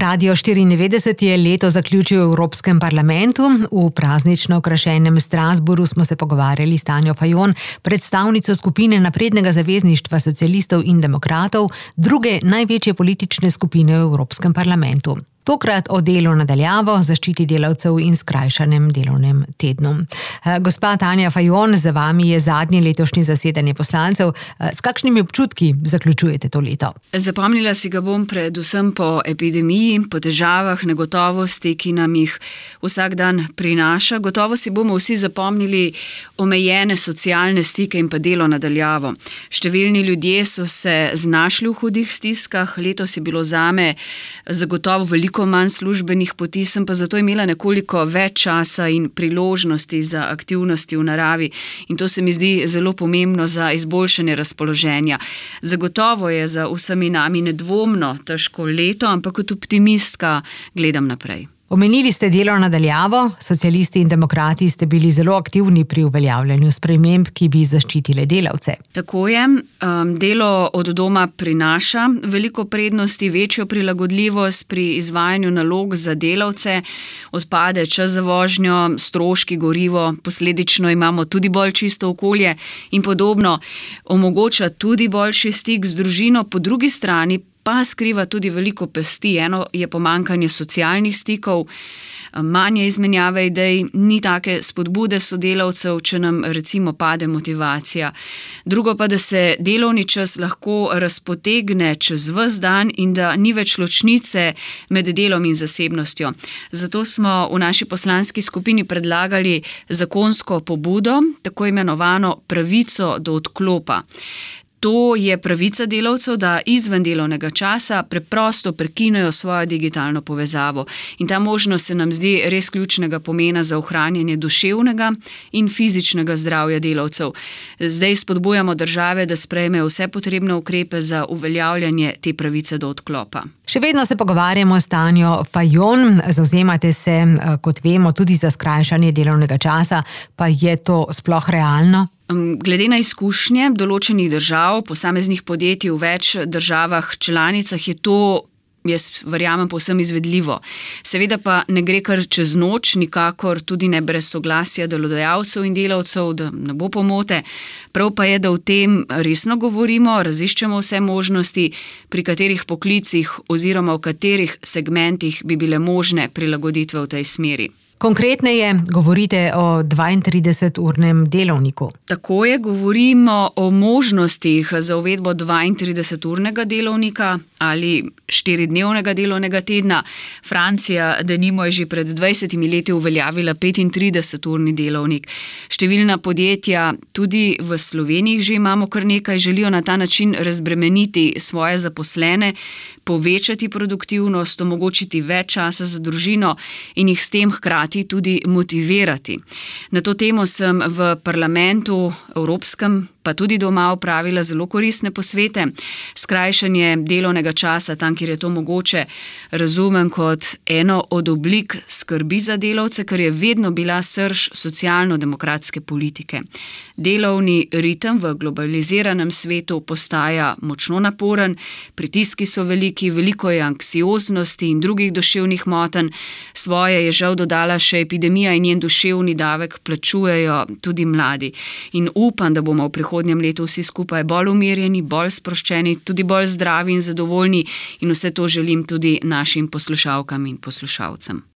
Radio 94 je leto zaključil v Evropskem parlamentu. V praznično okrašenem Strasbourgu smo se pogovarjali s Tanjo Fajon, predstavnico skupine Naprednega zavezništva socialistov in demokratov, druge največje politične skupine v Evropskem parlamentu. Tokrat o delu na daljavo, zaščiti delavcev in skrajšanem delovnem tednu. Gospa Tanja Fajon, za vami je zadnje letošnje zasedanje poslancev. S kakšnimi občutki zaključujete to leto? Zapomnila si ga bom predvsem po epidemiji, po težavah, negotovosti, ki nam jih vsak dan prinaša. Gotovo si bomo vsi zapomnili omejene socialne stike in pa delo na daljavo. Številni ljudje so se znašli v hudih stiskah, letos je bilo zame zagotovo veliko manj službenih poti, sem pa zato imela nekoliko več časa in priložnosti za aktivnosti v naravi in to se mi zdi zelo pomembno za izboljšanje razpoloženja. Zagotovo je za vsemi nami nedvomno težko leto, ampak kot optimistka gledam naprej. Omenili ste delo na daljavo, socialisti in demokrati ste bili zelo aktivni pri uveljavljanju sprememb, ki bi zaščitile delavce. Tako je, delo od doma prinaša veliko prednosti, večjo prilagodljivost pri izvajanju nalog za delavce, odpade čas za vožnjo, stroški, gorivo, posledično imamo tudi bolj čisto okolje in podobno, omogoča tudi boljši stik z družino, po drugi strani pa skriva tudi veliko pesti. Eno je pomanjkanje socialnih stikov, manje izmenjave idej, ni take spodbude sodelavcev, če nam recimo pade motivacija. Drugo pa, da se delovni čas lahko razpotegne čez ves dan in da ni več ločnice med delom in zasebnostjo. Zato smo v naši poslanski skupini predlagali zakonsko pobudo, tako imenovano pravico do odklopa. To je pravica delavcev, da izven delovnega časa preprosto prekinejo svojo digitalno povezavo. In ta možnost se nam zdi res ključnega pomena za ohranjanje duševnega in fizičnega zdravja delavcev. Zdaj spodbujamo države, da sprejmejo vse potrebne ukrepe za uveljavljanje te pravice do odklopa. Še vedno se pogovarjamo s Tanjo Fajon. Zavzemate se, kot vemo, tudi za skrajšanje delovnega časa, pa je to sploh realno? Glede na izkušnje določenih držav, posameznih podjetij v več državah članicah je to, jaz verjamem, povsem izvedljivo. Seveda pa ne gre kar čez noč, nikakor tudi ne brez soglasja delodajalcev in delavcev, da ne bo pomote. Prav pa je, da o tem resno govorimo, raziščemo vse možnosti, pri katerih poklicih oziroma v katerih segmentih bi bile možne prilagoditve v tej smeri. Konkretneje govorite o 32-urnem delovniku. Tako je, govorimo o možnostih za uvedbo 32-urnega delovnika ali 4-dnevnega delovnega tedna. Francija, denimo, je že pred 20 leti uveljavila 35-urni delovnik. Številna podjetja, tudi v Sloveniji že imamo kar nekaj, želijo na ta način razbremeniti svoje zaposlene, povečati produktivnost, omogočiti več časa za družino in jih s tem hkrati tudi motivirati. Na to temo sem v parlamentu evropskem pa tudi doma opravila zelo koristne posvete. Skrajšanje delovnega časa, tam, kjer je to mogoče, razumem kot eno od oblik skrbi za delavce, kar je vedno bila srž socialno-demokratske politike. Delovni ritem v globaliziranem svetu postaja močno naporen, pritiski so veliki, veliko je anksioznosti in drugih duševnih motenj. Svoje je žal dodala še epidemija in njen duševni davek plačujejo tudi mladi. In upam, da bomo v prihodnjem letu vsi skupaj bolj umirjeni, bolj sproščeni, tudi bolj zdravi in zadovoljni in vse to želim tudi našim poslušalkam in poslušalcem.